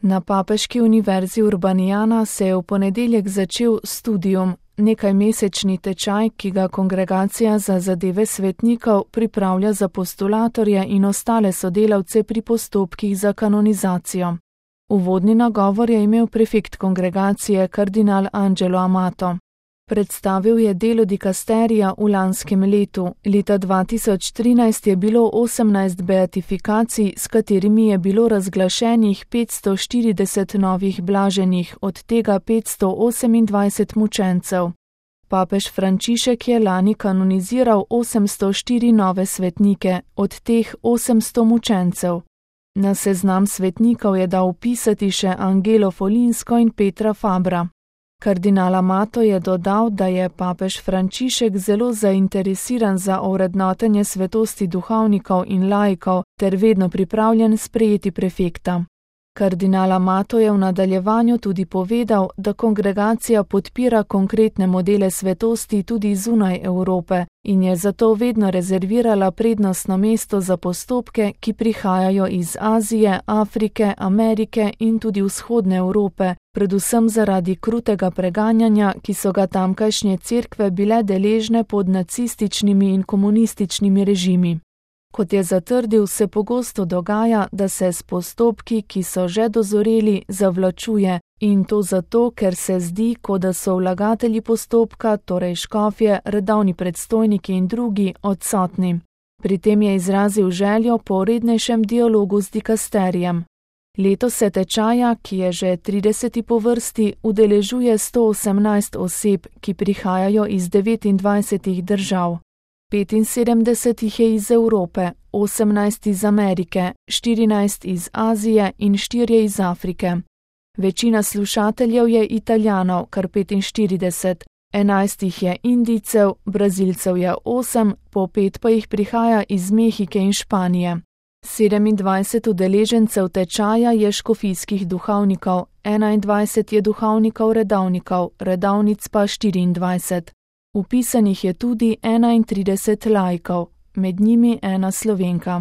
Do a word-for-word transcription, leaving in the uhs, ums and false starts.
Na Papeški univerzi Urbaniana se je v ponedeljek začel studium, nekajmesečni tečaj, ki ga Kongregacija za zadeve svetnikov pripravlja za postulatorje in ostale sodelavce pri postopkih za kanonizacijo. Uvodni nagovor je imel prefekt kongregacije kardinal Angelo Amato. Predstavil je delo dikasterija v lanskem letu. Leta dva tisoč trinajst je bilo osemnajst beatifikacij, s katerimi je bilo razglašenih petsto štirideset novih blaženih, od tega petsto osemindvajset mučencev. Papež Frančišek je lani kanoniziral osemsto štiri nove svetnike, od teh osemsto mučencev. Na seznam svetnikov je dal vpisati še Angelo Folinsko in Petra Fabra. Kardinal Amato je dodal, da je papež Frančišek zelo zainteresiran za ovrednotenje svetosti duhovnikov in laikov ter vedno pripravljen sprejeti prefekta. Kardinal Amato je v nadaljevanju tudi povedal, da kongregacija podpira konkretne modele svetosti tudi zunaj Evrope in je zato vedno rezervirala prednostno mesto za postopke, ki prihajajo iz Azije, Afrike, Amerike in tudi vzhodne Evrope, predvsem zaradi krutega preganjanja, ki so ga tamkajšnje cerkve bile deležne pod nacističnimi in komunističnimi režimi. Kot je zatrdil, se pogosto dogaja, da se s postopki, ki so že dozoreli, zavlačuje, in to zato, ker se zdi, kot da so vlagatelji postopka, torej škofje, redovni predstojniki in drugi, odsotni. Pri tem je izrazil željo po rednejšem dialogu z dikasterijem. Letos se tečaja, ki je že trideseti po vrsti, udeležuje sto osemnajst oseb, ki prihajajo iz devetindvajsetih držav. petinsedemdeset jih je iz Evrope, osemnajst iz Amerike, štirinajst iz Azije in štirje iz Afrike. Večina slušateljev je Italijanov, kar petinštirideset, enajst jih je Indijcev, Brazilcev je osem, po pet pa jih prihaja iz Mehike in Španije. sedemindvajset udeležencev tečaja je škofijskih duhovnikov, enaindvajset je duhovnikov redovnikov, redovnic pa štiriindvajset. Vpisanih je tudi enaintrideset laikov, med njimi ena Slovenka.